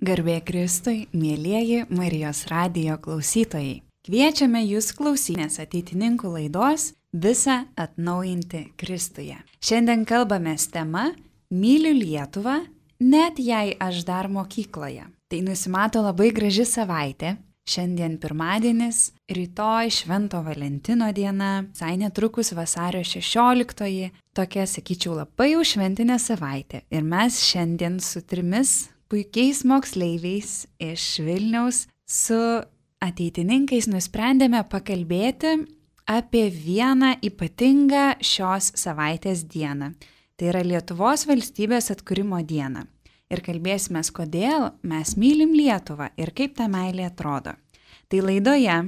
Garbė Kristui, mielieji Marijos radijo klausytojai. Kviečiame jūs klausytis ateitininkų laidos Visa atnaujinti Kristuje. Šiandien kalbamės tema Myliu Lietuvą, net jei aš dar mokykloje. Tai nusimato labai graži savaitė. Šiandien pirmadienis, rytoj Švento Valentino diena, visai netrukus vasario 16, tokia, sakyčiau, labai jau šventinė savaitė. Ir mes šiandien su 3 puikiais moksleiviais iš Vilniaus su ateitininkais nusprendėme pakalbėti apie vieną ypatingą šios savaitės dieną. Tai yra Lietuvos valstybės atkūrimo diena. Ir kalbėsime, kodėl mes mylim Lietuvą ir kaip ta meilė atrodo. Tai laidoje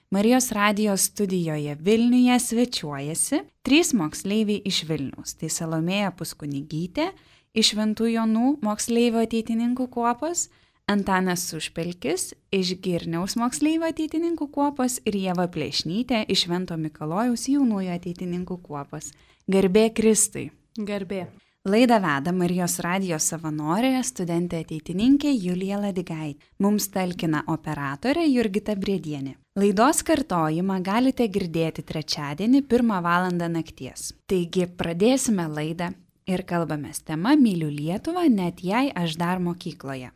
Marijos radijos studijoje Vilniuje svečiuojasi 3 moksleiviai iš Vilniaus. Tai Salomėja Puskunigytė iš Šventų Jonų moksleivio ateitininkų kuopos, Antanas Užpelkis iš Girniaus moksleivio ateitininkų kuopos ir Ieva Plešnytė iš Švento Mikalojaus jaunųjų ateitininkų kuopos. Garbė Kristui. Garbė. Laidą veda Marijos radijos savanorė, studentė ateitininkė Julija Ladigaitė. Mums talkina operatorė Jurgita Briedienė. Laidos kartojimą galite girdėti trečiadienį 1 valandą nakties. Taigi pradėsime laidą ir kalbamės tema Myliu Lietuvą, net jei aš dar mokykloje.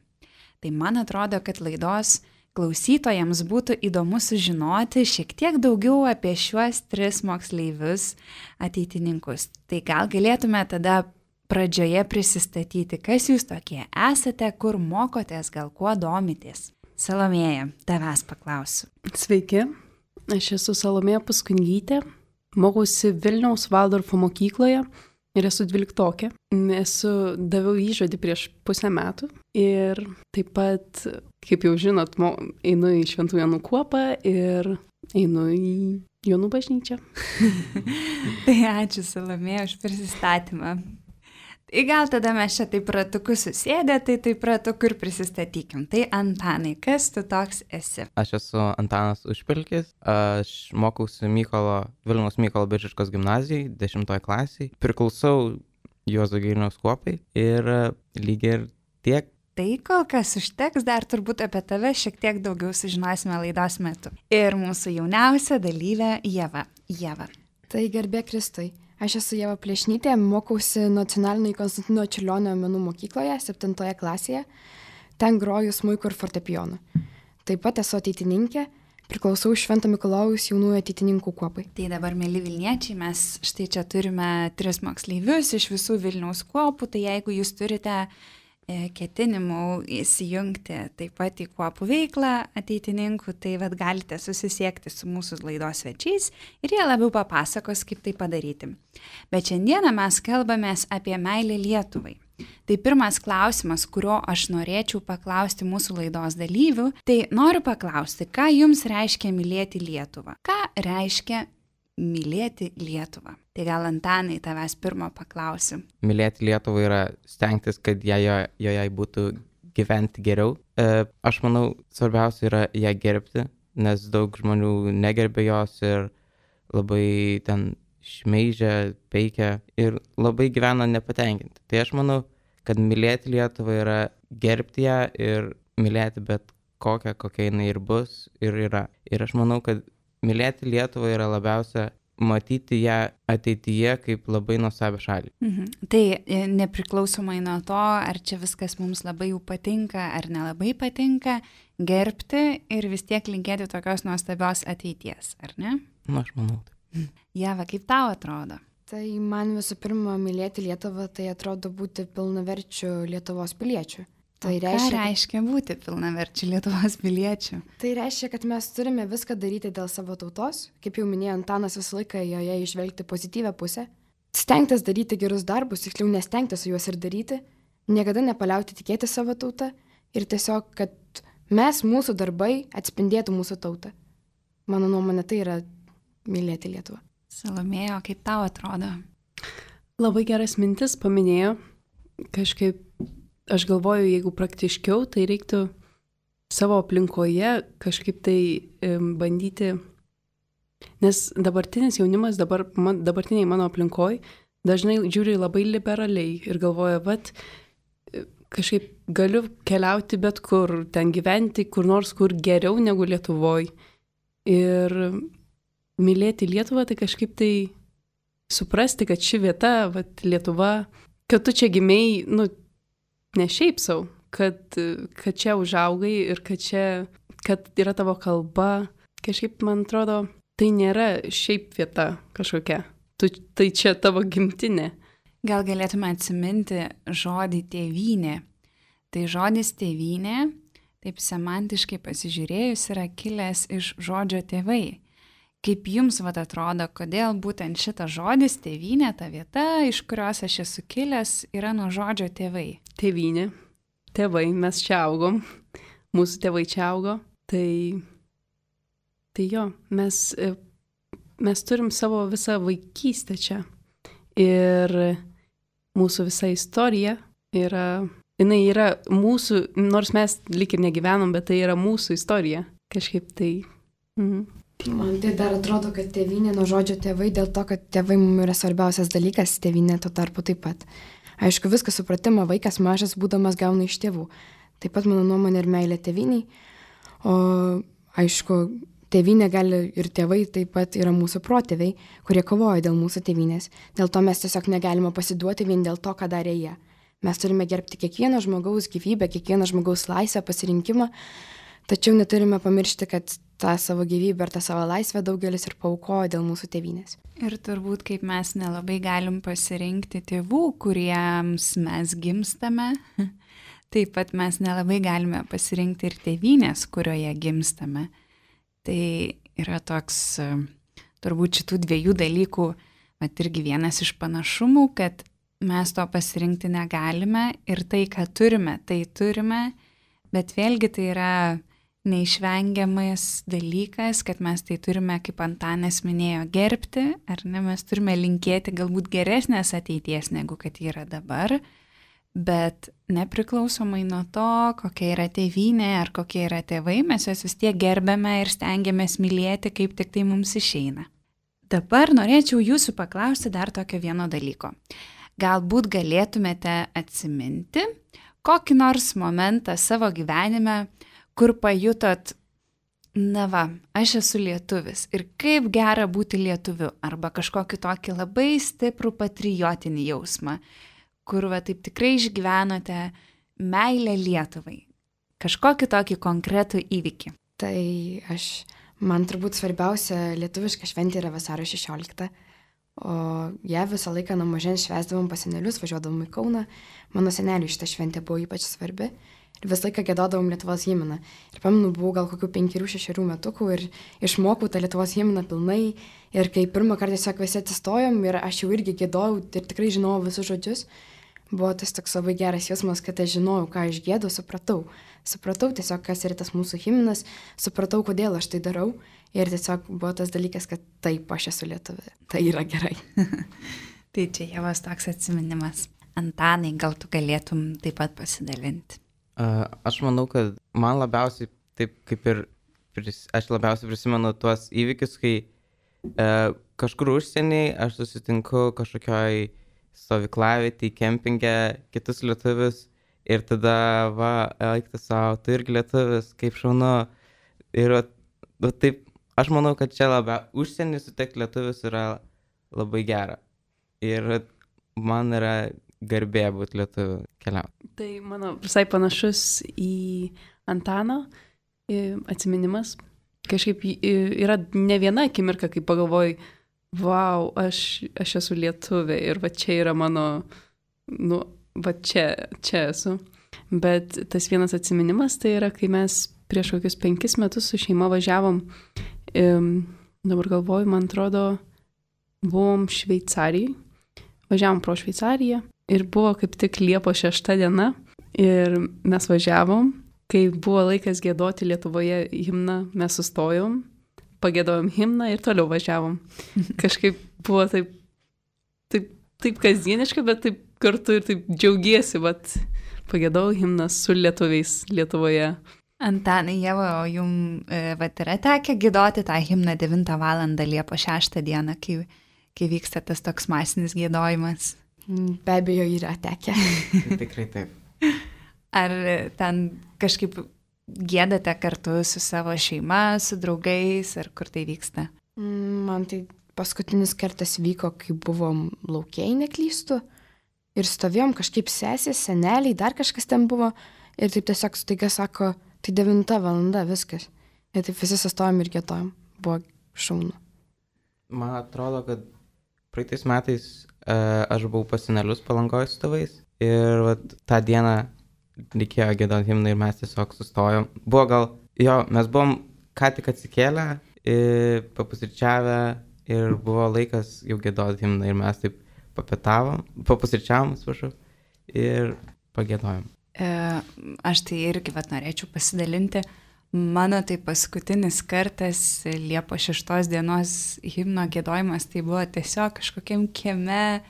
Tai man atrodo, kad laidos klausytojams būtų įdomu sužinoti šiek tiek daugiau apie šiuos 3 moksleivius ateitininkus. Tai gal galėtume tada pradžioje prisistatyti, kas jūs tokie esate, kur mokotės, gal kuo domitės. Salomėja, tavęs paklausiu. Sveiki, aš esu Salomėja Puskunigytė, mokausi Vilniaus Valdorfo mokykloje ir esu 12-okė. Daviau įžodį prieš pusę metų ir taip pat, kaip jau žinot, einu į Šventų Jonų kuopą ir einu į Jonų bažnyčią. Tai ačiū Salomėja už prisistatymą. Tai gal tada mes čia taip ratuku susėdę, tai taip ratuku ir prisistatykim. Tai Antanai, kas tu toks esi? Aš esu Antanas Užpelkis, aš mokausi Vilniaus Mykolo Biržiškos gimnazijai, 10 klasiai. Priklausau Juozo Girniaus kuopai ir lygiai ir tiek. Tai kol kas užteks, dar turbūt apie tave šiek tiek daugiau sužinosime laidos metu. Ir mūsų jauniausia dalyvė Ieva. Tai garbė Kristui. Aš esu Ieva Plešnytė, mokausi Nacionalinėje Konstantino Čiurlionio menų mokykloje, 7 klasėje. Ten groju smuiku ir fortepijonu. Taip pat esu ateitininkė, priklausau Švento Mikalojaus jaunųjų ateitininkų kuopai. Tai dabar, mėly Vilniečiai, mes štai čia turime 3 moksleivius iš visų Vilniaus kuopų, tai jeigu jūs turite ketinimų įsijungti taip pat į kuopų veiklą ateitininkų, tai galite susisiekti su mūsų laidos svečiais ir jie labiau papasakos, kaip tai padaryti. Bet šiandieną mes kalbamės apie meilę Lietuvai. Tai pirmas klausimas, kurio aš norėčiau paklausti mūsų laidos dalyvių, tai noriu paklausti, ką jums reiškia mylėti Lietuvą? Ką reiškia mylėti Lietuvą? Tai gal Antanai tavęs pirmo paklausiu. Mylėti Lietuvą yra stengtis, kad joje būtų gyventi geriau. Aš manau, svarbiausia yra ją gerbti, nes daug žmonių negerbė jos ir labai ten šmeižia, peikia ir labai gyvena nepatenkinti. Tai aš manau, kad mylėti Lietuvą yra gerbti ją ir mylėti bet kokią jinai ir bus ir yra. Ir aš manau, kad mylėti Lietuvą yra labiausia matyti ją ateityje kaip labai nuostabią šalį. Tai nepriklausomai nuo to, ar čia viskas mums labai jau patinka ar nelabai patinka, gerbti ir vis tiek linkėti tokios nuostabios ateities, ar ne? Aš manau taip. Ieva, kaip tau atrodo? Tai man visų pirma mylėti Lietuvą, tai atrodo būti pilnaverčiu Lietuvos piliečiu. Tai ką reiškia būti pilnaverčiu Lietuvos piliečiu? Tai reiškia, kad mes turime viską daryti dėl savo tautos, kaip jau minėjo Antanas, visą laiką joje išvelgti pozityvę pusę, stengtis daryti gerus darbus, tiksliau nestengtis juos ir daryti, niekada nepaliauti tikėti savo tautą ir tiesiog, kad mūsų darbai atspindėtų mūsų tautą. Mano nuomonė, tai yra mylėti Lietuvą. Salomėja, kaip tau atrodo? Labai geras mintis paminėjo, kažkaip aš galvoju, jeigu praktiškiau, tai reiktų savo aplinkoje kažkaip tai bandyti, nes dabartinis jaunimas, dabartiniai mano aplinkoj, dažnai žiūri labai liberaliai ir galvoja, kažkaip galiu keliauti bet kur, ten gyventi kur nors, kur geriau negu Lietuvoje. Ir mylėti Lietuvą, tai kažkaip tai suprasti, kad ši vieta, vat, Lietuva, kad tu čia gimėjai, nu, ne šiaip savo, kad čia užaugai ir kad yra tavo kalba. Kažkaip, man atrodo, tai nėra šiaip vieta kažkokia. Tai čia tavo gimtinė. Gal galėtume atsiminti žodį tėvynė. Tai žodis tėvynė, taip semantiškai pasižiūrėjus, yra kilęs iš žodžio tėvai. Kaip jums atrodo, kodėl būtent šitas žodis tėvynė, ta vieta, iš kurios aš esu kilęs, yra nuo žodžio tėvai? Tėvynė, tėvai, mes čia augom, mūsų tėvai čia augo, tai jo, mes turim savo visą vaikystę čia. Ir mūsų visa istorija jinai yra mūsų, nors mes lyg ir negyvenom, bet tai yra mūsų istorija. Kažkaip tai. Man tai dar atrodo, kad tėvynė nuo žodžio tėvai, dėl to, kad tėvai mums yra svarbiausias dalykas, tėvynė tuo tarpu taip pat. Aišku, viską supratimą vaikas mažas būdamas gauna iš tėvų. Taip pat mano nuomonė ir meilė tėvyniai. O aišku, tėvynė gali ir tėvai taip pat yra mūsų protėviai, kurie kovoja dėl mūsų tėvynės. Dėl to mes tiesiog negalime pasiduoti vien dėl to, ką darė jie. Mes turime gerbti kiekvieno žmogaus gyvybę, kiekvieno žmogaus laisvę, pasirinkimą, tačiau neturime pamiršti, kad tą savo gyvybę ir tą savo laisvę daugelis ir paaukojo dėl mūsų tėvynės. Ir turbūt kaip mes nelabai galim pasirinkti tėvų, kuriems mes gimstame, taip pat mes nelabai galime pasirinkti ir tėvynės, kurioje gimstame. Tai yra toks, turbūt šitų dviejų dalykų, bet irgi vienas iš panašumų, kad mes to pasirinkti negalime ir tai, ką turime, tai turime, bet vėlgi tai yra neišvengiamas dalykas, kad mes tai turime, kaip Antanas minėjo, gerbti, ar ne, mes turime linkėti galbūt geresnės ateities, negu kad yra dabar, bet nepriklausomai nuo to, kokia yra tėvynė ar kokie yra tėvai, mes juos vis tiek gerbėme ir stengiamės mylėti, kaip tik tai mums išeina. Dabar norėčiau jūsų paklausti dar tokio vieno dalyko. Galbūt galėtumėte atsiminti kokį nors momentą savo gyvenime, kur pajutot, na va, aš esu lietuvis ir kaip gera būti lietuviu, arba kažkokį tokį labai stiprų patriotinį jausmą, kur va taip tikrai išgyvenote meilę Lietuvai. Kažkokį tokį konkretų įvykį. Tai man turbūt svarbiausia lietuviška šventė yra vasario 16. O ją visą laiką nuo mažens švęsdavom pas senelius, važiuodavom į Kauną. Mano seneliui šitą šventę buvo ypač svarbi. Ir visą laiką giedodavom Lietuvos himną. Ir pamenu, buvau gal kokių 5-6 metukų ir išmokau tą Lietuvos himną pilnai. Ir kai pirmą kartą tiesiog visi atsistojom ir aš jau irgi giedojau ir tikrai žinojau visus žodžius, buvo tas toks labai geras jausmas, kad aš žinojau, ką aš giedu, supratau. Supratau tiesiog, kas yra tas mūsų himnas, supratau, kodėl aš tai darau. Ir tiesiog buvo tas dalykas, kad taip, aš esu lietuvė. Tai yra gerai. Tai čia Ievos toks atsiminimas. Antanai, gal tu galėtum taip pat pasidalinti? Aš manau, kad man labiausiai, taip kaip ir aš labiausiai prisimenu tuos įvykius, kai kažkur užsienyje aš susitinku kažkokioj stovyklavietėj, kempinge, kitus lietuvius ir tada, va, eikti savo, tu irgi lietuvis, kaip šaunu. Ir taip, aš manau, kad čia užsienį sutikti lietuvis yra labai gera. Ir man yra garbė būti lietuviu keliauti. Tai mano visai panašus į Antano atsiminimas. Kažkaip yra ne viena akimirka, kai pagalvoju, vau, aš esu lietuvė ir va čia yra mano, nu, va čia esu. Bet tas vienas atsiminimas tai yra, kai mes prieš kokius 5 metus su šeima važiavom, dabar galvoju, man atrodo, buvom Šveicarijai, važiavom pro Šveicariją ir buvo kaip tik Liepos 6 diena ir mes važiavom, kai buvo laikas giedoti Lietuvoje himną, mes sustojom, pagiedojom himną ir toliau važiavom. Kažkaip buvo taip kasdieniška, bet taip kartu ir taip džiaugiesi, bet pagiedojau himną su lietuviais Lietuvoje. Antanai, Ieva, o jums yra tekę giedoti tą himną 9 valandą Liepos 6 dieną, kai vyksta tas toks masinis giedojimas? Be abejo, yra tekę. Tikrai taip. Ar ten kažkaip giedate kartu su savo šeima, su draugais, ar kur tai vyksta? Man tai paskutinis kartas vyko, kai buvom laukiai, neklystu. Ir stovėjom kažkaip sesės, seneliai, dar kažkas ten buvo. Ir taip tiesiog staiga sako, tai 9 valanda, viskas. Ir taip visi sustojom ir giedojom. Buvo šaunu. Man atrodo, kad praeitais metais aš buvau pas senelius Palangoje su tėvais. Ir vat, tą dieną reikėjo giedoti himną ir mes tiesiog sustojom. Buvo gal, mes buvom ką tik atsikėlę, papusryčiavę ir buvo laikas jau giedoti himną ir mes taip papusryčiavom, ir pagiedojom. Aš tai irgi norėčiau pasidalinti. Mano tai paskutinis kartas Liepos 6 dienos himno giedojimas, tai buvo tiesiog kažkokiam kieme,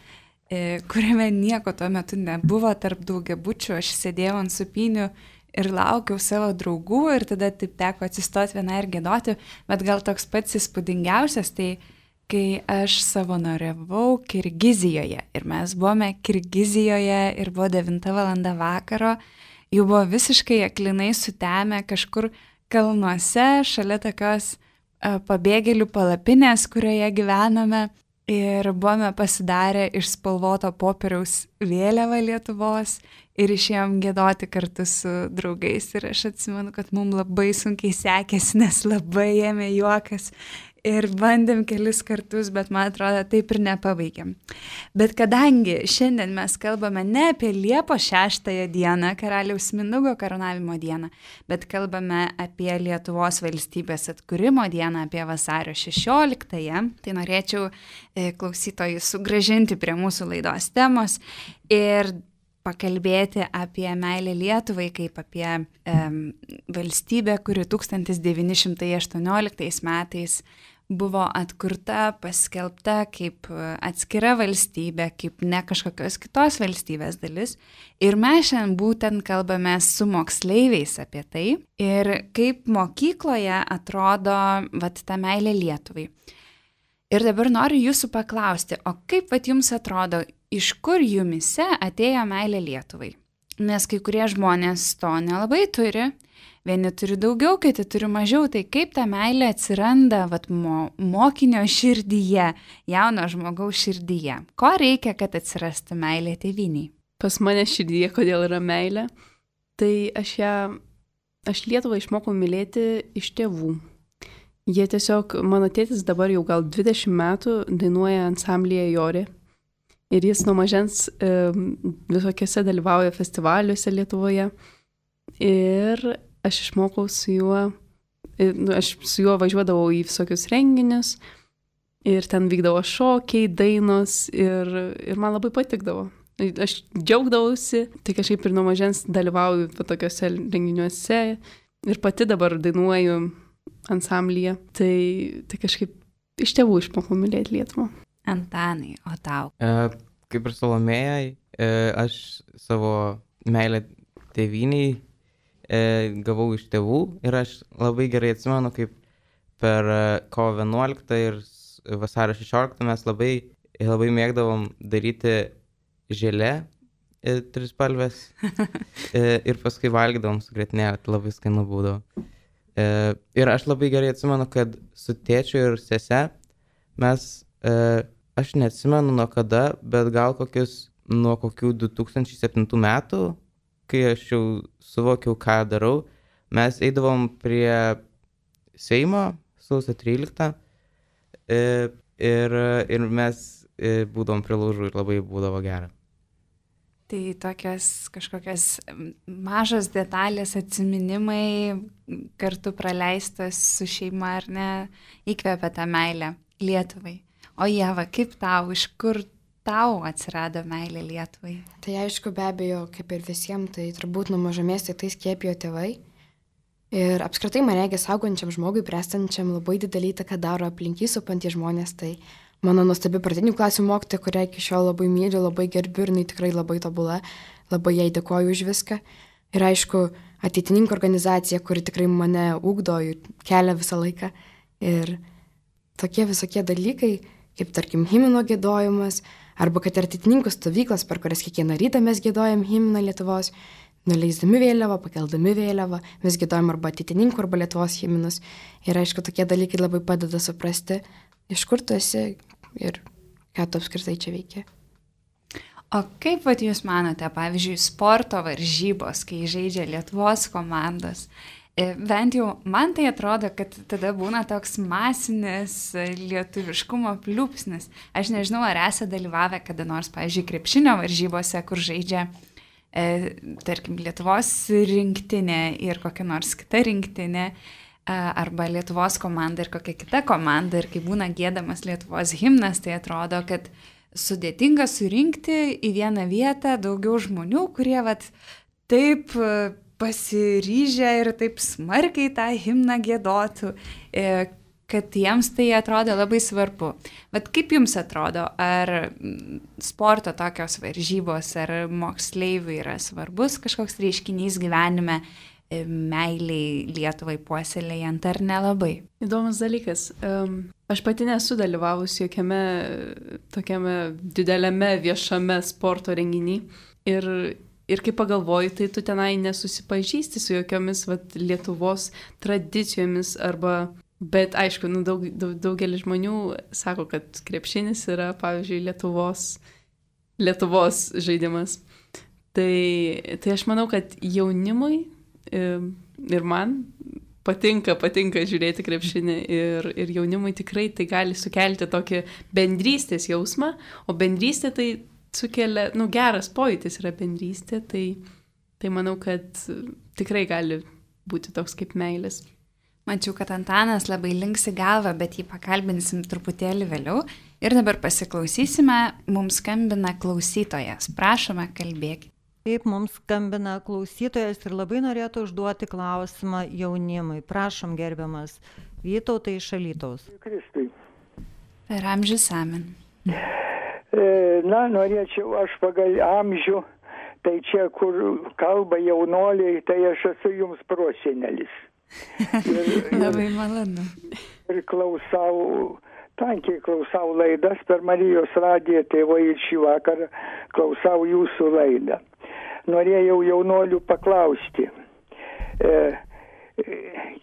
kuriame nieko tuo metu nebuvo tarp daugiabučių. Aš sėdėjau ant supynių ir laukiau savo draugų ir tada taip teko atsistoti vieną ir giedoti, bet gal toks pats įspūdingiausias, tai kai aš savanoriavau Kirgizijoje ir mes buvome Kirgizijoje ir buvo 9 valanda vakaro, jau buvo visiškai aklinai sutemę kažkur kalnuose šalia tokios pabėgėlių palapinės, kurioje gyvename. Ir buvome pasidarę iš spalvoto popieriaus vėliavą Lietuvos ir išėjom giedoti kartu su draugais. Ir aš atsimenu, kad mums labai sunkiai sekėsi, nes labai ėmė juokas. Ir bandėm kelis kartus, bet man atrodo, taip ir nepabaigėm. Bet kadangi šiandien mes kalbame ne apie Liepos 6 dieną, Karaliaus Mindaugo karūnavimo dieną, bet kalbame apie Lietuvos valstybės atkūrimo dieną, apie vasario 16-ąją, tai norėčiau klausytojus sugrąžinti prie mūsų laidos temos ir pakalbėti apie meilę Lietuvai kaip apie valstybę, kuri 1918 metais buvo atkurta, paskelbta kaip atskira valstybė, kaip ne kažkokios kitos valstybės dalis. Ir mes šiandien būtent kalbame su moksleiviais apie tai ir kaip mokykloje atrodo ta meilė Lietuvai. Ir dabar noriu jūsų paklausti, o kaip jums atrodo, iš kur jumise atėjo meilė Lietuvai? Nes kai kurie žmonės to nelabai turi, vieni turi daugiau, kiti turi mažiau, tai kaip ta meilė atsiranda mokinio širdyje, jauno žmogaus širdyje? Ko reikia, kad atsirastų meilė tėvynei? Pas mane širdyje, kodėl yra meilė, tai aš Lietuvą išmokau mylėti iš tėvų. Jie tiesiog, mano tėtis dabar jau gal 20 metų dainuoja ansamblyje Jorė. Ir jis nuo mažens visokiose dalyvauja festivaliuose Lietuvoje. Ir aš išmokau su juo, aš su juo važiuodavau į visokius renginius. Ir ten vykdavo šokiai, dainos ir man labai patikdavo. Aš džiaugdavausi, tai kažkaip ir nuo mažens dalyvauju tokiuose renginiuose. Ir pati dabar dainuoju ansamblyje, tai kažkaip iš tėvų išmokau mylėti Lietuvą. Antanai, o tau? Kaip ir Salomėjai, aš savo meilę tėvyniai gavau iš tėvų ir aš labai gerai atsimenu, kaip per kovo 11 ir vasario 16 mes labai mėgdavom daryti želė trispalvės ir paskui valgydavom su grietinėle, tai labai skanu būdavo. Ir aš labai gerai atsimenu, kad su tėčiu ir sese mes, aš neatsimenu nuo kada, bet gal nuo kokių 2007 metų, kai aš jau suvokiau, ką darau, mes eidavom prie Seimo sausio 13 ir mes būdavom prie laužų ir labai būdavo gera. Tai tokios kažkokios mažos detalės, atsiminimai kartu praleistas su šeima, ar ne, įkvepia tą meilę Lietuvai. O Ieva, kaip tau, iš kur tau atsirado meilė Lietuvai? Tai aišku, be abejo, kaip ir visiems, tai turbūt nuo mažamės tai skiepijo tėvai. Ir apskritai man regis augančiam žmogui, bręstančiam, labai didelį įtaką daro aplink jį supantys žmonės, tai mano nuostabi pradinių klasių mokytoja, kurią iki šiol labai myliu, labai gerbiu ir jinai tikrai labai tobula, labai jai dėkoju už viską. Ir aišku, ateitininkų organizacija, kuri tikrai mane ugdo ir kelia visą laiką. Ir tokie visokie dalykai, kaip tarkim himno giedojimas, arba kad ateitininkų stovyklos, per kurias kiekvieną rytą mes giedojam himną Lietuvos, nuleisdami vėliavą, pakeldami vėliavą, vis giedojam arba ateitininkų, arba Lietuvos himnus. Ir aišku, tokie dalykai labai padeda suprasti, iš kur tu esi ir ką tu apskritai čia veiki. O kaip vat jūs manote, pavyzdžiui, sporto varžybos, kai žaidžia Lietuvos komandos? Bent jau man tai atrodo, kad tada būna toks masinis lietuviškumo pliūpsnis. Aš nežinau, ar esate dalyvavę kada nors, pavyzdžiui, krepšinio varžybose, kur žaidžia, tarkim, Lietuvos rinktinė ir kokia nors kita rinktinė, arba Lietuvos komanda ir kokia kita komanda, ir kai būna giedamas Lietuvos himnas, tai atrodo, kad sudėtinga surinkti į vieną vietą daugiau žmonių, kurie vat taip pasiryžę ir taip smarkiai tą himną giedotų, kad jiems tai atrodo labai svarbu. Bet kaip jums atrodo, ar sporto tokios varžybos, ar moksleivių yra svarbus kažkoks reiškinys gyvenime, meiliai Lietuvai puoselėjant, ar nelabai? Įdomus dalykas. Aš pati nesu dalyvavus jokiame tokiame dideliame viešame sporto renginį. Ir kai pagalvoju, tai tu tenai nesusipažįsti su jokiomis Lietuvos tradicijomis arba, bet aišku, daugelis žmonių sako, kad krepšinis yra, pavyzdžiui, Lietuvos žaidimas. Tai aš manau, kad jaunimui ir man patinka žiūrėti krepšinį ir jaunimui tikrai tai gali sukelti tokį bendrystės jausmą, o bendrystė tai sukelia, geras pojūtis yra bendrystė, tai manau, kad tikrai gali būti toks kaip meilės. Mačiau, kad Antanas labai linksi galvą, bet jį pakalbinsim truputėlį vėliau. Ir dabar pasiklausysime, mums skambina klausytojas. Prašome, kalbėkite. Taip, mums skambina klausytojas ir labai norėtų užduoti klausimą jaunimui. Prašom, gerbiamas Vytautai iš Alytaus. Kristui. Per amžius amen. Norėčiau aš pagal amžių, tai čia, kur kalba jaunoliai, tai aš esu jums prosenelis. Labai malonu. Ir tankiai klausau laidas per Marijos radiją, tėvai, ir šį vakarą klausau jūsų laidą. Norėjau jaunolių paklausti,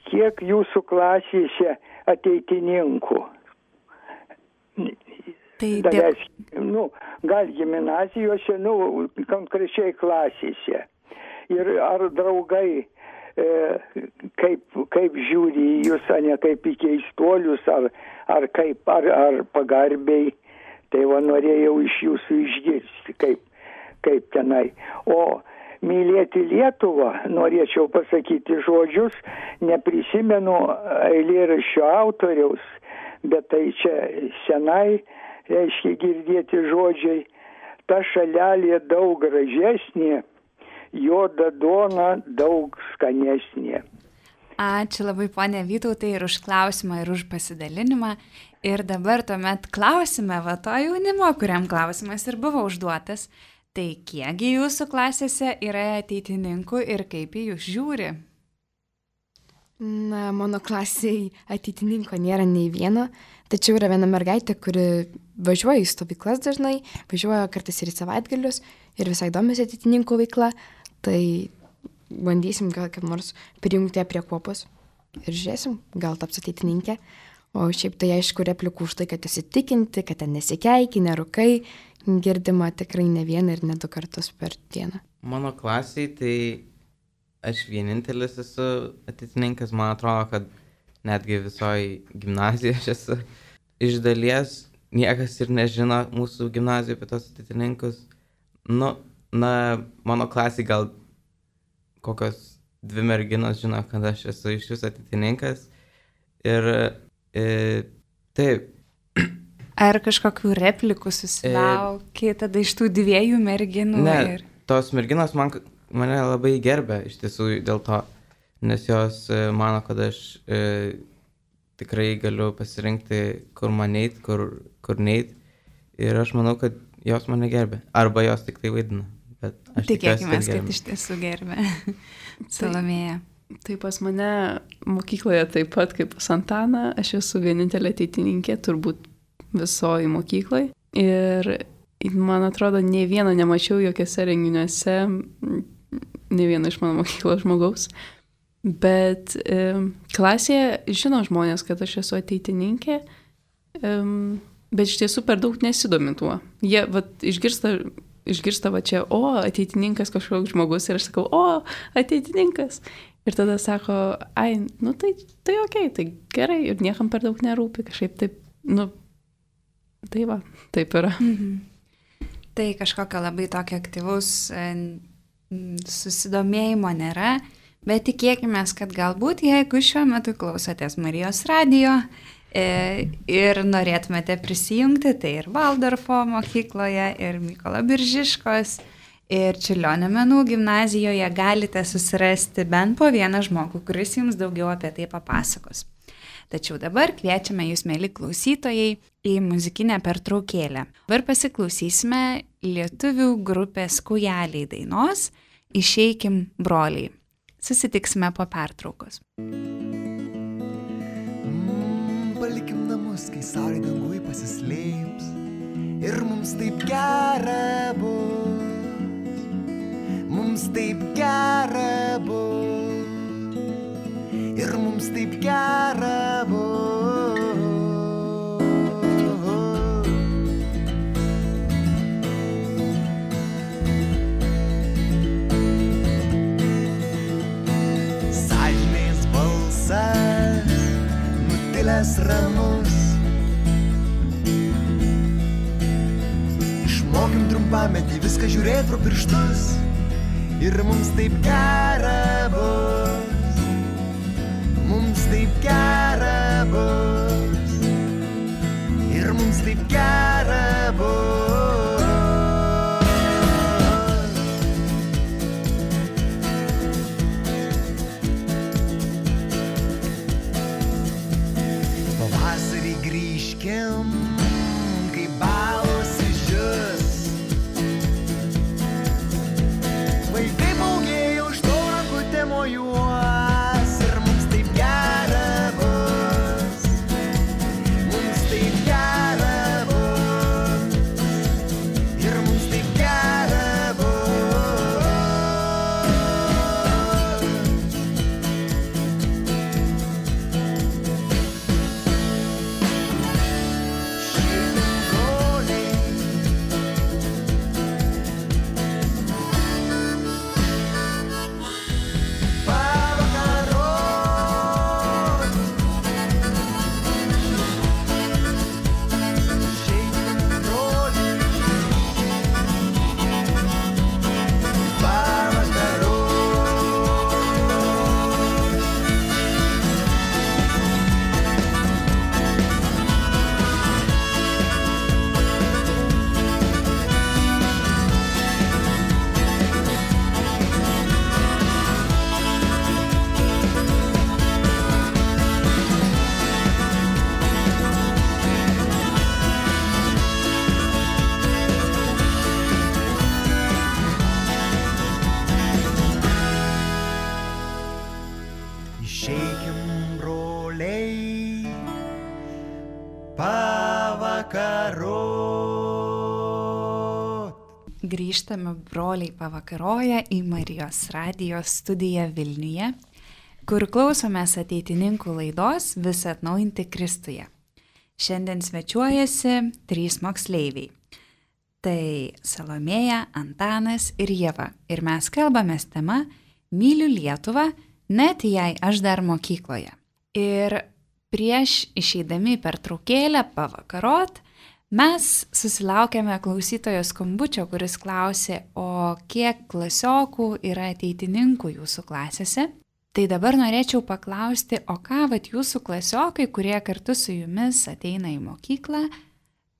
kiek jūsų klasėse ateitininkų? Gal gimnazijose, konkrečiai klasėse. Ir ar draugai kaip žiūri į jūs, ne kaip į keistuolius, ar pagarbiai. Tai norėjau iš jūsų išgirsti, kaip tenai. O mylėti Lietuvą, norėčiau pasakyti žodžius, neprisimenu eilėraščio autoriaus, bet tai čia senai, reiškia girdėti žodžiai, ta šalelė daug gražesnė, juoda duona daug skanesnė. Ačiū labai, ponė Vytautai, ir už klausimą, ir už pasidalinimą. Ir dabar tuomet klausime to jaunimo, kuriam klausimas ir buvo užduotas. Tai kiekgi jūsų klasėse yra ateitininkų ir kaip į jūs žiūri? Mano klasėje ateitininko nėra nei vieno, tačiau yra viena mergaitė, kuri važiuoja į stovyklas dažnai, važiuoja kartais ir į savaitgalius ir visai domisi ateitininkų veikla, tai bandysim gal kaip nors prijungti ją prie kuopos ir žiūrėsim, gal taps ateitininkė. O šiaip tai aišku replikų už tai, kad įsitikinti, kad ten nesikeiki, nerūkai, girdima tikrai ne vieną ir ne 2 kartus per dieną. Mano klasiai tai aš vienintelis esu ateitininkas, man atrodo, kad netgi visoji gimnazija aš esu. Iš dalies niekas ir nežino mūsų gimnazijoje apie tos ateitininkus. Mano klasiai gal kokios 2 merginos žino, kad aš esu iš jūsų ateitininkas. Ir taip. Ar kažkokių replikų susilaukė tada iš tų 2 merginų? Ne, tos merginos mane labai gerbė iš tiesų dėl to, nes jos mano, kad aš tikrai galiu pasirinkti, kur man eit, kur neit. Ir aš manau, kad jos mane gerbė. Arba jos tik tai vaidina. Tikėkime, kad iš tiesų gerbė. Salomėja. Tai pas mane mokykloje taip pat kaip pas Antaną, aš esu vienintelė ateitininkė, turbūt visoji mokyklai. Ir man atrodo, nei vieno nemačiau jokiuose renginiuose ne vieno iš mano mokyklos žmogaus. Bet klasėje žino žmonės, kad aš esu ateitininkė, bet iš tiesų per daug nesidomi tuo. Jie išgirsta va čia, ateitininkas kažkoks žmogus ir aš sakau, ateitininkas. Ir tada sako, tai okei, tai gerai ir niekam per daug nerūpi, kažkaip taip, tai va, taip yra. Tai kažkokio labai tokio aktyvaus susidomėjimo nėra, bet tikėkime, kad galbūt jeigu šiuo metu klausotės Marijos radijo ir norėtumėte prisijungti, tai ir Valdorfo mokykloje, ir Mykolo Biržiškos, ir Čiurlionio menų gimnazijoje galite susirasti bent po vieną žmogų, kuris jums daugiau apie tai papasakos. Tačiau dabar kviečiame jūs, mėly klausytojai, į muzikinę pertraukėlę. Dabar pasiklausysime lietuvių grupės Kūjeliai dainos Išeikim broliai. Susitiksime po pertraukos. Palikim namus, kai saulė dangui pasislėps ir mums taip gera bus. Mums taip gera bus. Ir mums taip gera bus. Sąžinės balsas nutilęs ramus. Išmokim trumpametį viską žiūrėt pro pirštus. Ir mums taip gera bus. Mums taip gera bus. Ir mums taip gera bus. Pavasarį grįžkim, kai balos išdžius. Vaikai paugėjo už to rankutė mojuos. Ir mums taip gera bus. Mums taip gera bus. Ir mums taip gera bus. Šiandien broliai pavakarot. Šiandien broliai pavakarot. Išeikim broliai pavakarot. Grįžtame broliai pavakaroja į Marijos radijo studiją Vilniuje, kur klausomės ateitininkų laidos Visa atnaujinti Kristuje. Šiandien svečiuojasi 3 moksleiviai. Tai Salomėja, Antanas ir Ieva. Ir mes kalbamės tema Myliu Lietuvą, net jei aš dar mokykloje. Ir prieš išeidami per traukėlę pavakarot, mes susilaukėme klausytojo skambučio, kuris klausė, o kiek klasiokų yra ateitininkų jūsų klasėse? Tai dabar norėčiau paklausti, o ką vat jūsų klasiokai, kurie kartu su jumis ateina į mokyklą,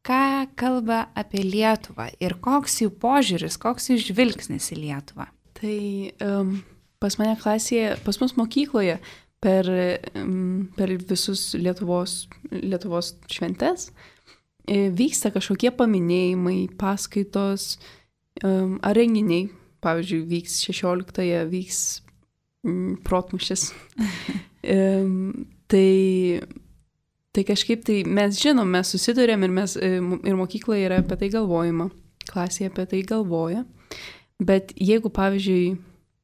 ką kalba apie Lietuvą ir koks jų požiūris, koks jų žvilgsnis į Lietuvą? Tai pas mane klasėje, pas mus mokykloje per visus Lietuvos šventes vyksta kažkokie paminėjimai, paskaitos ar renginiai. Pavyzdžiui, vyks 16-ąją, vyks protmūšis. Tai kažkaip tai mes žinom, mes susidurėm ir mokykloje yra apie tai galvojama, klasėje apie tai galvoja. Bet jeigu, pavyzdžiui,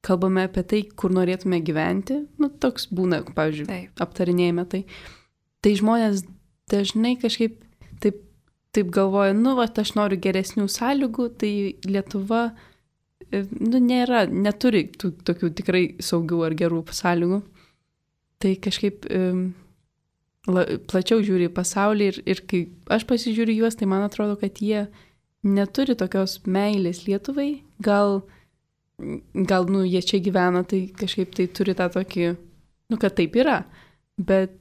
kalbame apie tai, kur norėtume gyventi, toks būna, pavyzdžiui, Taip. aptarinėjame tai. Tai žmonės dažnai kažkaip taip galvoja, aš noriu geresnių sąlygų, tai Lietuva neturi tokių tikrai saugių ar gerų sąlygų. Tai kažkaip plačiau žiūri į pasaulį ir kai aš pasižiūriu juos, tai man atrodo, kad jie neturi tokios meilės Lietuvai. Gal jie čia gyvena, tai kažkaip tai turi tą tokį, kad taip yra, bet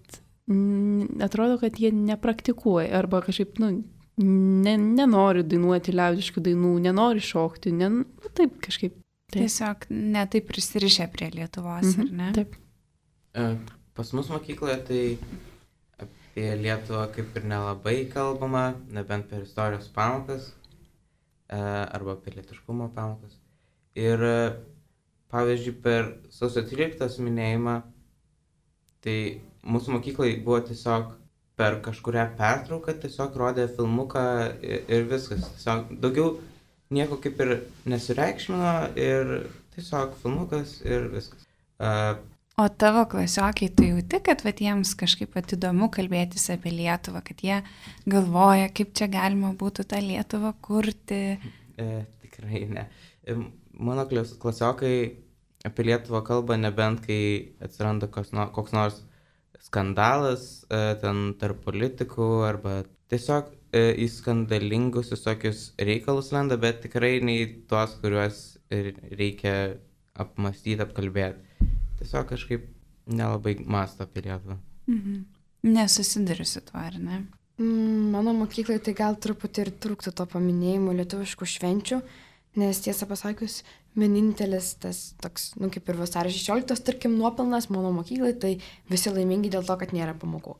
atrodo, kad jie nepraktikuoja arba kažkaip, nenori dainuoti liaudiškų dainų, nenori šokti, taip kažkaip. Taip. Tiesiog netaip prisirišę prie Lietuvos, ar ne? Taip. Pas mus mokykloje tai apie Lietuvą kaip ir nelabai kalbama, nebent per istorijos pamokas arba apie lietiškumo pamokas. Ir pavyzdžiui, per sausio 13 minėjimą, tai mūsų mokyklai buvo tiesiog per kažkurią pertrauką tiesiog rodė filmuką ir viskas. Tiesiog daugiau nieko kaip ir nesireikšmino ir tiesiog filmukas ir viskas. O tavo klasiokai, tu jauti, kad jiems kažkaip įdomu kalbėtis apie Lietuvą, kad jie galvoja, kaip čia galima būtų tą Lietuvą kurti? Tikrai ne. Mano klasiokai apie Lietuvą kalba nebent, kai atsiranda koks nors skandalas ten tarp politikų arba tiesiog į skandalingus visokius reikalus lenda, bet tikrai nei tuos, kuriuos reikia apmastyti, apkalbėti. Tiesiog kažkaip nelabai mąsto apie Lietuvą. Nesusiduriu su tuo, ar ne? Mano mokyklai tai gal truputį ir trūktų to paminėjimo lietuviškų švenčių, nes tiesą pasakius, vienintelis tas toks, kaip ir vasario 16, tarkim, nuopelnas mano mokyklai, tai visi laimingi dėl to, kad nėra pamokų.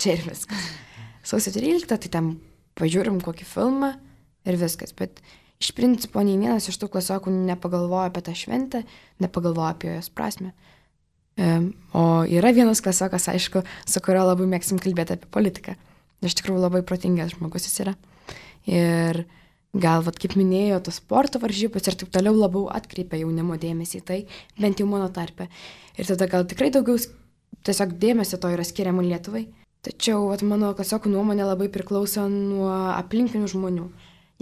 Čia ir viskas. Sausio 13, tai ten pažiūrim kokį filmą ir viskas, bet iš principo nei vienas iš tų klasiokų nepagalvoja apie tą šventę, nepagalvoja apie jos prasme. O yra vienas klasiokas, aišku, su kurio labai mėgsim kalbėti apie politiką. Iš tikrųjų labai protingas žmogus jis yra. Ir gal, kaip minėjo, tos sporto varžybos ir taip toliau labiau atkreipia jaunimo dėmesį į tai, bent jau mano tarpe. Ir tada gal tikrai daugiau tiesiog dėmesio to yra skiriama Lietuvai. Tačiau mano klasiokų nuomonė labai priklauso nuo aplinkinių žmonių.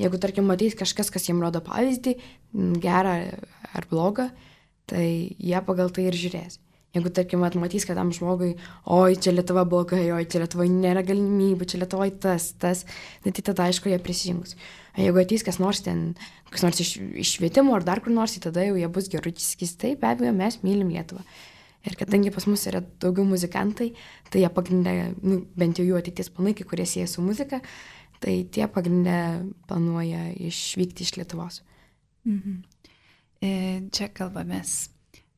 Jeigu, tarkim, matys kažkas, kas jiems rodo pavyzdį, gerą ar blogą, tai jie pagal tai ir žiūrės. Jeigu, tarkim, matys, kad tam žmogui, oi, čia Lietuva blogai, oi, čia Lietuvoje nėra galimybių, čia Lietuvoje tas, tai tada, aišku, jie prisijungs. Jeigu atys kas nors iš švietimo ar dar kur nors, tai tada jau jie bus gerai, sakys, taip, be abejo, mes mylim Lietuvą. Ir kadangi pas mus yra daugiau muzikantai, tai jie pagrindė, bent jau jų ateities planai, kai kurie sieja su muzika, tai tie pagrindė planuoja išvykti iš Lietuvos. Čia kalbamės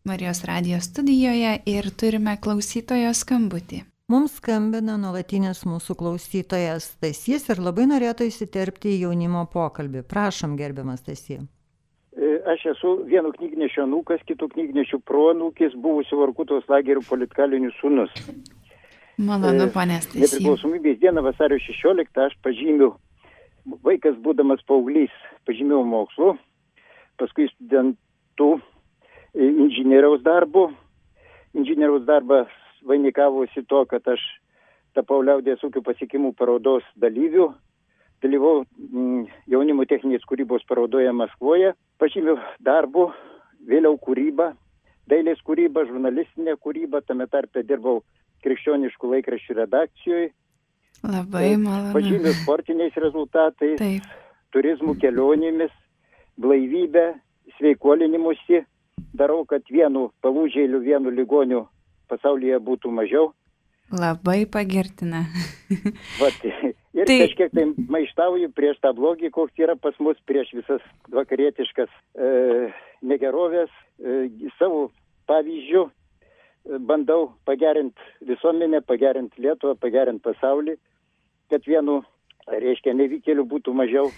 Marijos radijo studijoje ir turime klausytojo skambutį. Mums skambina nuolatinis mūsų klausytojas Stasys ir labai norėtų įsiterpti į jaunimo pokalbį. Prašom, gerbiamas Stasy. Aš esu vieno knygnešio anūkas, kitų knygnešių proanūkis, buvusių Vorkutos lagerių politkalinių sūnus. Malonu, ponė Stasy. Nepriklausomybės dieną vasario 16 aš pažymiu, vaikas būdamas paauglys, pažymiau mokslu, paskui studentų inžinieriaus darbu. Inžinieriaus darbas vainikavosi to, kad aš tapau liaudies ūkių pasiekimų parodos dalyvių. Dalyvau jaunimo techninės kūrybos parodoje Maskvoje. Pažymiu darbu, vėliau kūrybą, dailės kūrybą, žurnalistinę kūrybą, tame tarpe dirbau krikščioniškų laikraščių redakcijoje. Labai malonu. Pažymiu sportiniais rezultatais, Taip. turizmų kelionėmis, blaivybę, sveikuolinimusi. Darau, kad vienu palūžėliu, vienu ligoniu pasaulyje būtų mažiau. Labai pagirtina. Ir kažkiek tai maištauju prieš tą blogį, koks yra pas mus, prieš visas vakarietiškas negerovės. Savo pavyzdžių bandau pagerinti visuomenę, pagerinti Lietuvą, pagerinti pasaulį, kad vienu, reiškia, nevykėlių būtų mažiau.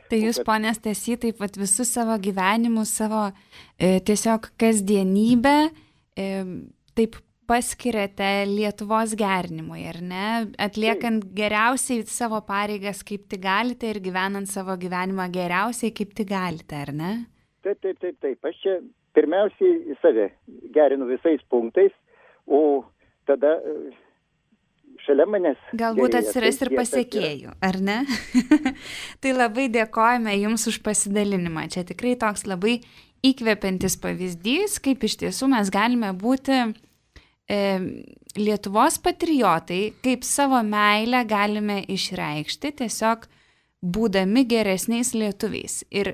Tai jūs, ponė Stasy, taip pat visus savo gyvenimus, savo tiesiog kasdienybę taip paskiriate Lietuvos gerinimui, ar ne? Atliekant geriausiai savo pareigas, kaip tik galite, ir gyvenant savo gyvenimą geriausiai, kaip tik galite, ar ne? Taip. Aš čia pirmiausiai save gerinu visais punktais, o tada šalia manęs. Galbūt gerėja. atsiras Tai ir tiek, pasiekėjų, ar ne? Tai labai dėkojame Jums už pasidalinimą. Čia tikrai toks labai įkvepiantis pavyzdys, kaip iš tiesų mes galime būti Lietuvos patriotai, kaip savo meilę galime išreikšti tiesiog būdami geresniais lietuviais. Ir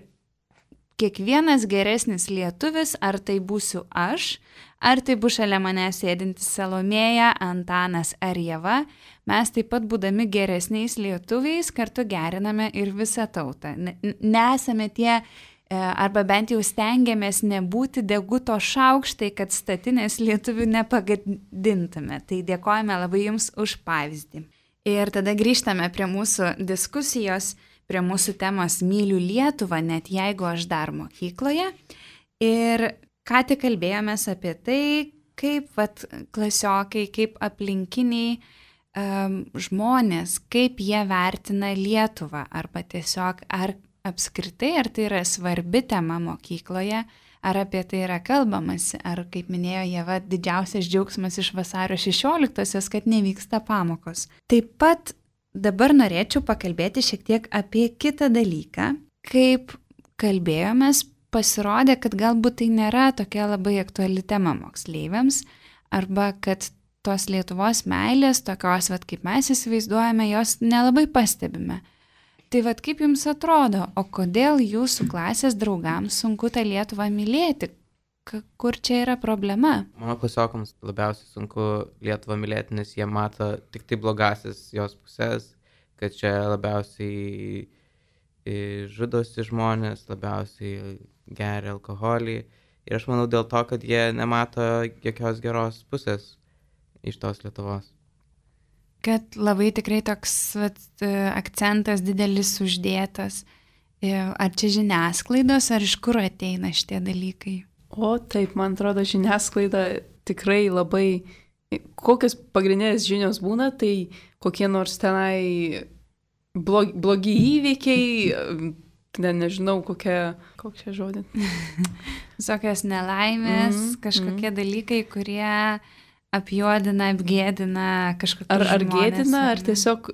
kiekvienas geresnis lietuvis, ar tai būsiu aš, ar tai bus šalia manęs sėdintis Salomėja, Antanas ar Ieva, mes taip pat būdami geresniais lietuviais kartu geriname ir visą tautą. Nesame tie, arba bent jau stengiamės nebūti deguto šaukštai, kad statinės lietuvių nepagadintume. Tai dėkojame labai Jums už pavyzdį. Ir tada grįžtame prie mūsų diskusijos, prie mūsų temos Myliu Lietuvą, net jeigu aš dar mokykloje. Ir ką tik kalbėjomės apie tai, kaip klasiokai, kaip aplinkiniai žmonės, kaip jie vertina Lietuvą, arba tiesiog ar apskritai, ar tai yra svarbi tema mokykloje, ar apie tai yra kalbamasi, ar, kaip minėjo Ieva, didžiausias džiaugsmas iš vasario 16-osios, kad nevyksta pamokos. Taip pat dabar norėčiau pakalbėti šiek tiek apie kitą dalyką. Kaip kalbėjomės, pasirodė, kad galbūt tai nėra tokia labai aktuali tema moksleiviams, arba kad tos Lietuvos meilės, tokios, kaip mes įsivaizduojame, jos nelabai pastebime. Tai kaip Jums atrodo, o kodėl Jūsų klasės draugams sunku tą Lietuvą mylėti? Kur čia yra problema? Mano klasiokams labiausiai sunku Lietuvą mylėti, nes jie mato tik tai blogasis jos pusės, kad čia labiausiai žudosi žmonės, labiausiai geria alkoholį. Ir aš manau dėl to, kad jie nemato jokios geros pusės iš tos Lietuvos. Kad labai tikrai toks akcentas didelis uždėtas. Ar čia žiniasklaidos, ar iš kur ateina šitie dalykai? O taip, man atrodo, žiniasklaida tikrai labai, kokios pagrindinės žinios būna, tai kokie nors tenai blogi įvykiai, nežinau, kokia žodė. Visokios nelaimės, kažkokie dalykai, kurie apjuodina, apgėdina kažkokius žmonės. Ar gėdina, ar tiesiog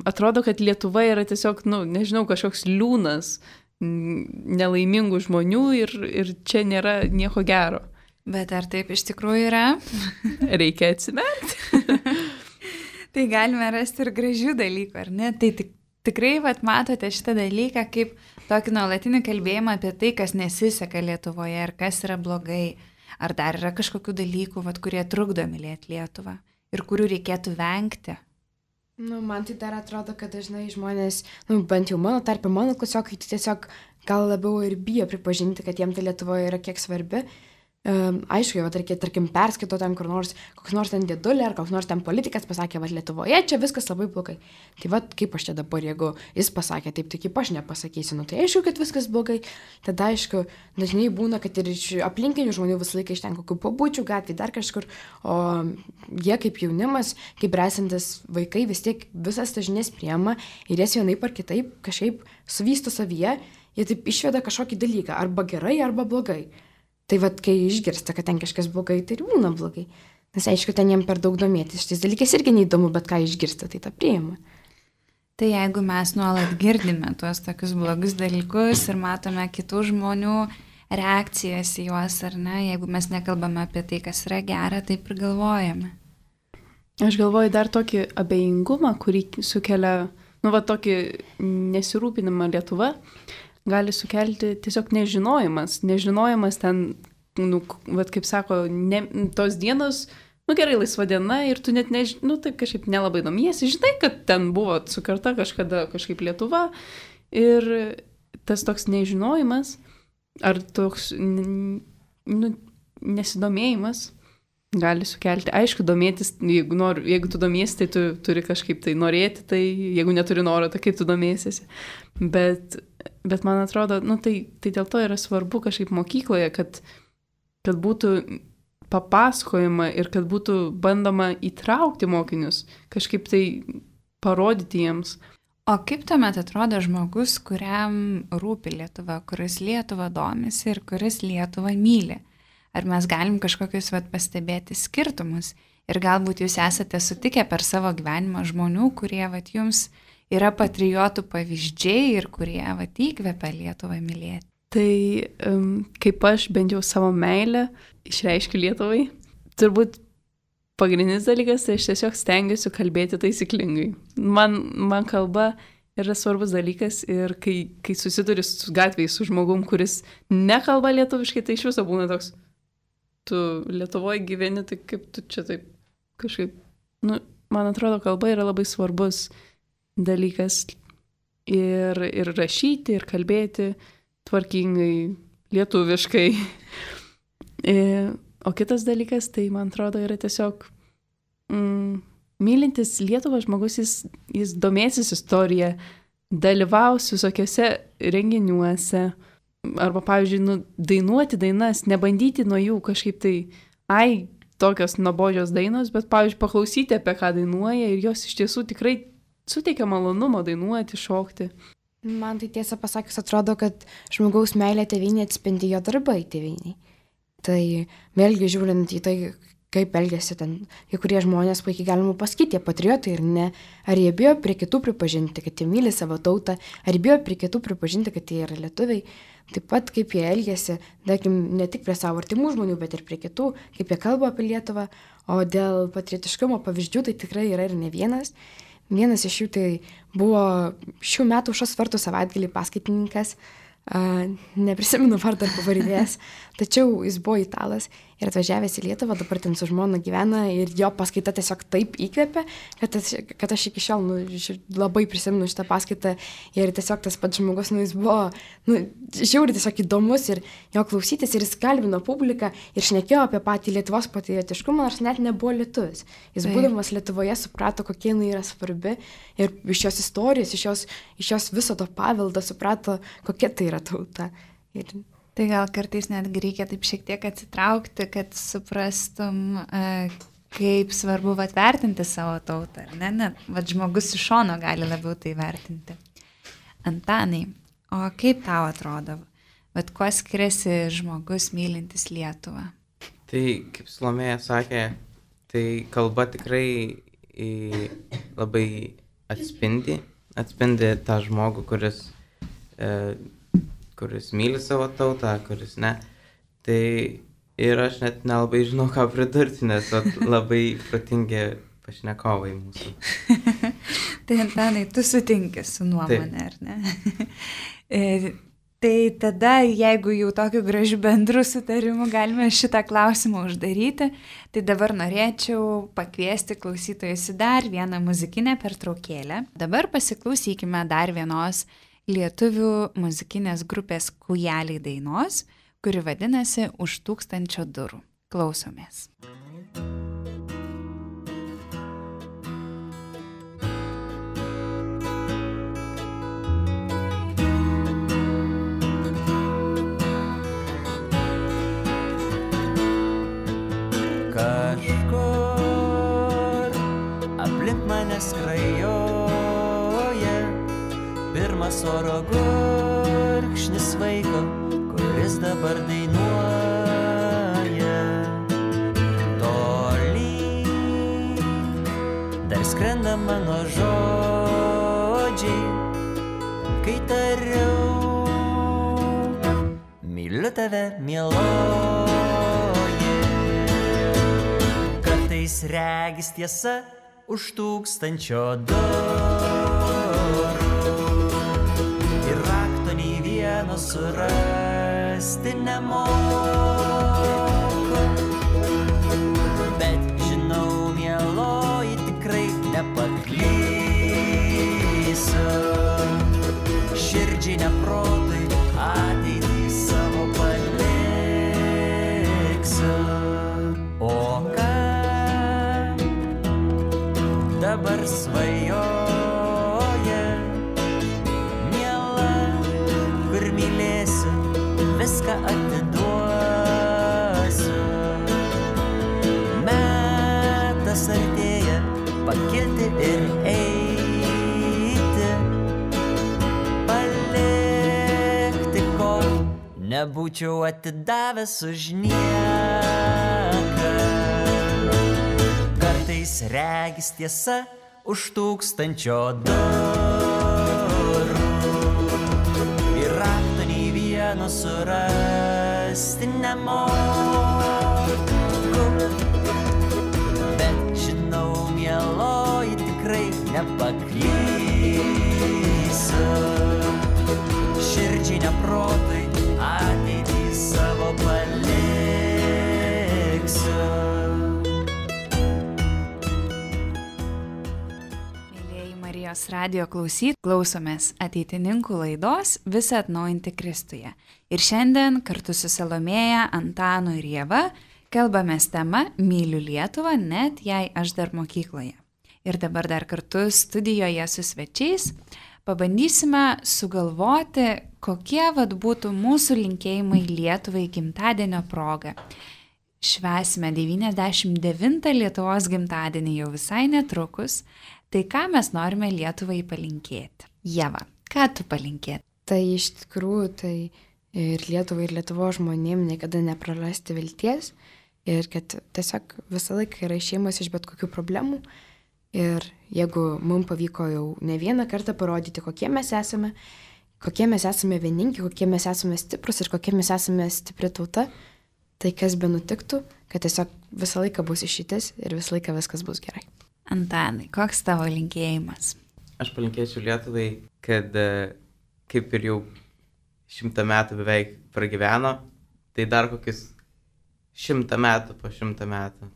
atrodo, kad Lietuva yra tiesiog, nežinau, kažkoks liūnas nelaimingų žmonių ir čia nėra nieko gero. Bet ar taip iš tikrųjų yra? Reikia atsimerkti. Tai galime rasti ir gražių dalykų, ar ne? Tai tikrai matote šitą dalyką kaip tokį nuolatinį kalbėjimą apie tai, kas nesiseka Lietuvoje ir kas yra blogai. Ar dar yra kažkokių dalykų, kurie trukdo mylėti Lietuvą ir kurių reikėtų vengti? Man tai dar atrodo, kad dažnai žmonės, bent jau mano tarpe, mano klasiokai tiesiog gal labiau ir bijo pripažinti, kad jiems tai Lietuvoje yra kiek svarbi. Aišku, tarkim, perskaito ten kur nors, koks nors ten dėdulė ar koks nors ten politikas pasakė, Lietuvoje čia viskas labai blogai. Tai kaip aš čia dabar, jeigu jis pasakė taip, tai kaip aš nepasakysiu, tai aišku, kad viskas blogai. Tada aišku, dažnai būna, kad ir iš aplinkinių žmonių visą laiką iš ten kokių pabučių gatvį, dar kažkur, o jie kaip jaunimas, kaip bręsantis vaikai vis tiek visas tas žinias priema ir jas vienaip ar kitaip kažkaip suvysto savyje, jie taip išveda kažkokį dalyką, arba gerai, arba blogai. Tai kai išgirsta, kad ten kažkas blogai, tai ir būna blogai. Nes aišku, ten jiem per daug domėtis. Šitais dalykais irgi neįdomu, bet ką išgirsta, tai tą priima. Tai jeigu mes nuolat girdime tuos tokius blogus dalykus ir matome kitų žmonių reakcijas į juos, ar ne, jeigu mes nekalbame apie tai, kas yra gera, taip ir galvojame. Aš galvoju dar tokį abejingumą, kurį sukelia, tokį nesirūpinimą Lietuva. Gali sukelti tiesiog nežinojimas. Nežinojimas ten, kaip sako, tos dienos, gerai, laisva diena ir tu net taip kažkaip nelabai domiesi. Žinai, kad ten buvo sukurta kažkada kažkaip Lietuva ir tas toks nežinojimas ar toks nesidomėjimas gali sukelti. Aišku, domėtis, jeigu tu domiesi, tai tu turi kažkaip tai norėti, tai jeigu neturi noro, tai kaip tu domėsiesi. Bet man atrodo, tai dėl to yra svarbu kažkaip mokykloje, kad būtų papasakojama ir kad būtų bandoma įtraukti mokinius, kažkaip tai parodyti jiems. O kaip tuomet atrodo žmogus, kuriam rūpi Lietuva, kuris Lietuvą domisi ir kuris Lietuvą myli? Ar mes galim kažkokius pastebėti skirtumus? Ir galbūt jūs esate sutikę per savo gyvenimą žmonių, kurie jums yra patriotų pavyzdžiai ir kurie įkvepia Lietuvą mylėti? Tai kaip aš bent jau savo meilę išreiškiu Lietuvai, turbūt pagrindinis dalykas, tai aš tiesiog stengiuosi kalbėti taisyklingai. Man kalba yra svarbus dalykas ir kai susiduri su gatvėje su žmogum, kuris nekalba lietuviškai, tai iš viso būna toks, tu Lietuvoje gyveni, tai kaip tu čia taip kažkaip, man atrodo, kalba yra labai svarbus dalykas ir rašyti, ir kalbėti tvarkingai, lietuviškai. O kitas dalykas, tai man atrodo, yra tiesiog mylintis Lietuvą žmogus, jis domėsis istoriją, dalyvaus visokiose renginiuose, arba, pavyzdžiui, dainuoti dainas, nebandyti nuo jų kažkaip tai, tokios nuobodžios dainos, bet, pavyzdžiui, paklausyti, apie ką dainuoja ir jos iš tiesų tikrai suteikia malonumo dainuoti, šokti. Man tai tiesą pasakius atrodo, kad žmogaus meilė tėvynė atspindi jo darbai tėvyniai. Tai vėlgi žiūrint į tai, kaip elgiasi ten, kai kurie žmonės puikiai galima pasakyti, jie patriotai ir ne. Ar jie bijo prie kitų pripažinti, kad jie myli savo tautą, ar bijo prie kitų pripažinti, kad jie yra lietuviai. Taip pat kaip jie elgiasi, tarkim, ne tik prie savo artimų žmonių, bet ir prie kitų, kaip jie kalba apie Lietuvą. O dėl patriotiškumo pavyzdžių tai tikrai yra ir ne vienas. Vienas iš jų tai buvo šių metų Aušros vartų savaitgalį paskaitininkas, neprisimenu vardą ar pavardės, tačiau jis buvo italas ir atvažiavęs į Lietuvą, dabar ten su žmona gyvena ir jo paskaita tiesiog taip įkvėpė, kad aš iki šiol labai prisimenu šitą paskaitą ir tiesiog tas pats žmogus, jis buvo žiauriai tiesiog įdomus ir jo klausytis ir jis kalbino publiką ir šnekėjo apie patį Lietuvos patriotiškumą, nors net nebuvo lietuvis. Jis būdamas Lietuvoje suprato, kokie jinai yra svarbi ir iš jos istorijos, iš jos viso to paveldo suprato, kokia tai yra tauta. Tai gal kartais netgi reikia taip šiek tiek atsitraukti, kad suprastum, kaip svarbu vertinti savo tautą, ar ne? Žmogus iš šono gali labiau tai vertinti. Antanai, o kaip tau atrodo? Kuo skiriasi žmogus mylintis Lietuvą? Tai, kaip Salomėja sakė, tai kalba tikrai labai atspindi tą žmogų, kuris myli savo tautą, kuris ne. Tai ir aš net nelabai žinau, ką pridurti, nes labai protingi pašnekovai mūsų. Tai Antanai, tu sutinki su nuomonė, ar ne? Tai tada, jeigu jau tokiu gražiu bendru sutarimu galime šitą klausimą uždaryti, tai dabar norėčiau pakviesti klausytojus į dar vieną muzikinę pertraukėlę. Dabar pasiklausykime dar vienos lietuvių muzikinės grupės Kūjeliai dainos, kuri vadinasi Už 1000 durų. Klausomės. Kažkur aplink mane skrajoja pirmas oro gurkšnis vaiko, kuris dabar dainuoja. Tolyn dar skrenda mano žodžiai, kai tariau, myliu tave, mieloji. Kartais regis tiesa už 1000 durų. Ir rakto nei vieno surasti nemoku. Bet žinau, mieloji, tikrai nepaklysiu. Širdžiai neprotui ateitį savo paliksiu. O ką dabar svajoja, miela, kur mylėsiu, viską atiduosiu. Metas artėja pakilti ir eiti, nebūčiau atidavęs už nieką. Kartais regis tiesa už 1000 durų. Ir rakto nei vieno surasti nemoku. Bet žinau, mieloji, tikrai nepaklysiu. Širdžiai neprotui ateitį savo paliksiu. Mėlieji Marijos radijo klausytojai, klausomės ateitininkų laidos Visa atnaujinti Kristuje. Ir šiandien kartu su Salomėja, Antanu ir Ieva kalbamės tema Myliu Lietuvą, net jei aš dar mokykloje. Ir dabar dar kartu studijoje su svečiais pabandysime sugalvoti, kokie būtų mūsų linkėjimai Lietuvai gimtadienio proga. Švęsime 99 Lietuvos gimtadienį jau visai netrukus, tai ką mes norime Lietuvai palinkėti? Ieva, ką tu palinkėti? Tai iš tikrųjų, tai ir Lietuvai, ir Lietuvos žmonėm niekada neprarasti vilties ir kad tiesiog visą laiką yra išėjimas iš bet kokių problemų. Ir jeigu mums pavyko jau ne vieną kartą parodyti, kokie mes esame vieningi, kokie mes esame stiprus ir kokie mes esame stipri tauta, tai kas be nutiktų, kad tiesiog visą laiką bus išeitis ir visą laiką viskas bus gerai. Antanai, koks tavo linkėjimas? Aš palinkėčiau Lietuvai, kad kaip ir jau 100 metų beveik pragyveno, tai dar kokius 100 metų po 100 metų.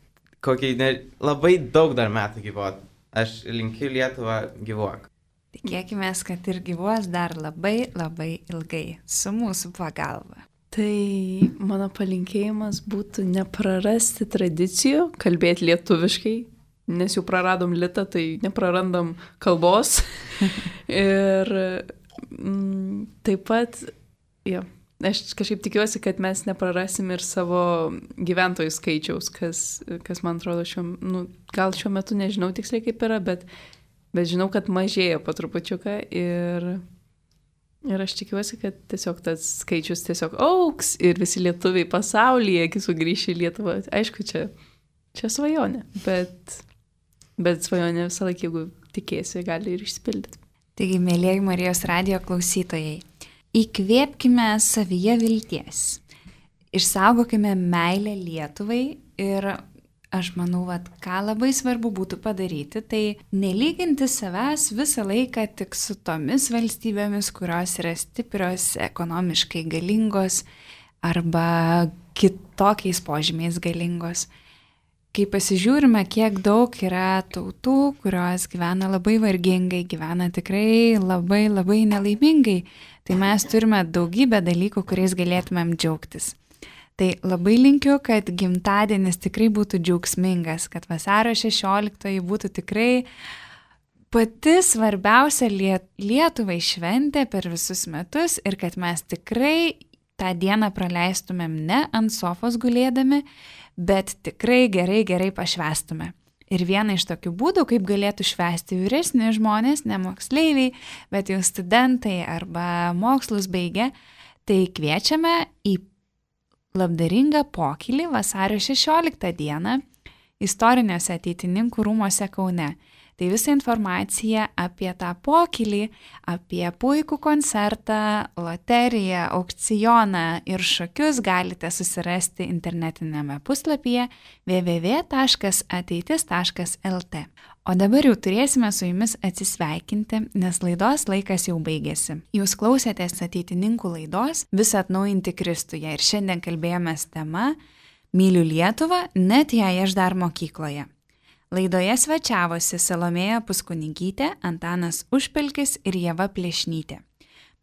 Labai daug dar metų gyvuot. Aš linkiu Lietuvą gyvuok. Tikėkime, kad ir gyvuos dar labai labai ilgai su mūsų pagalba. Tai mano palinkėjimas būtų neprarasti tradicijų, kalbėti lietuviškai, nes jau praradom litą, tai neprarandam kalbos. Ir taip pat, aš kažkaip tikiuosi, kad mes neprarasim ir savo gyventojų skaičiaus, kas man atrodo, gal šiuo metu nežinau tiksliai kaip yra, bet žinau, kad mažėja po trupučiuką ir aš tikiuosi, kad tiesiog tas skaičius tiesiog auks ir visi lietuviai pasaulyje sugrįš į Lietuvą. Aišku, čia svajonė, bet svajonė visą laiką, jeigu tikėsi, gali ir išsipildyti. Taigi, mėlieji Marijos radijo klausytojai, įkvėpkime savyje vilties, išsaugokime meilę Lietuvai ir aš manau, ką labai svarbu būtų padaryti, tai nelyginti savęs visą laiką tik su tomis valstybėmis, kurios yra stiprios, ekonomiškai galingos arba kitokiais požymiais galingos. Kai pasižiūrime, kiek daug yra tautų, kurios gyvena labai vargingai, gyvena tikrai labai labai nelaimingai, tai mes turime daugybę dalykų, kuriais galėtumėm džiaugtis. Tai labai linkiu, kad gimtadienis tikrai būtų džiaugsmingas, kad vasario 16 būtų tikrai pati svarbiausia Lietuvai šventė per visus metus ir kad mes tikrai tą dieną praleistumėm ne ant sofos gulėdami, bet tikrai gerai pašvęstume. Ir viena iš tokių būdų, kaip galėtų švęsti vyresni žmonės, ne moksleiviai, bet jau studentai arba mokslus baigę, tai kviečiame į labdaringą pokylį vasario 16 dieną istoriniuose Ateitininkų rūmuose Kaune. Tai visa informacija apie tą pokylį, apie puikų koncertą, loteriją, aukcioną ir šokius galite susirasti internetinėme puslapyje www.ateitis.lt. O dabar jau turėsime su jumis atsisveikinti, nes laidos laikas jau baigėsi. Jūs klausėtės Ateitininkų laidos Visa atnaujinti Kristuje ir šiandien kalbėjomės tema Myliu Lietuvą, net jei aš dar mokykloje. Laidoje svečiavosi Salomėja Puskunigytė, Antanas Užpelkis ir Ieva Plešnytė.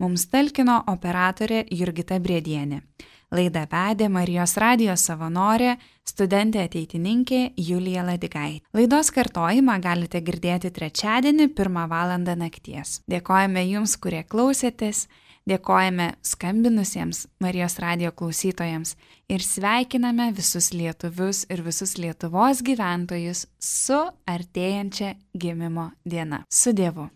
Mums talkino operatorė Jurgita Briedienė. Laidą vedė Marijos radijo savanorė, studentė ateitininkė Julija Ladigaitė. Laidos kartojimą galite girdėti trečiadienį 1 valandą nakties. Dėkojame jums, kurie klausėtės, dėkojame skambinusiems Marijos radijo klausytojams ir sveikiname visus lietuvius ir visus Lietuvos gyventojus su artėjančia gimimo diena. Su Dievu.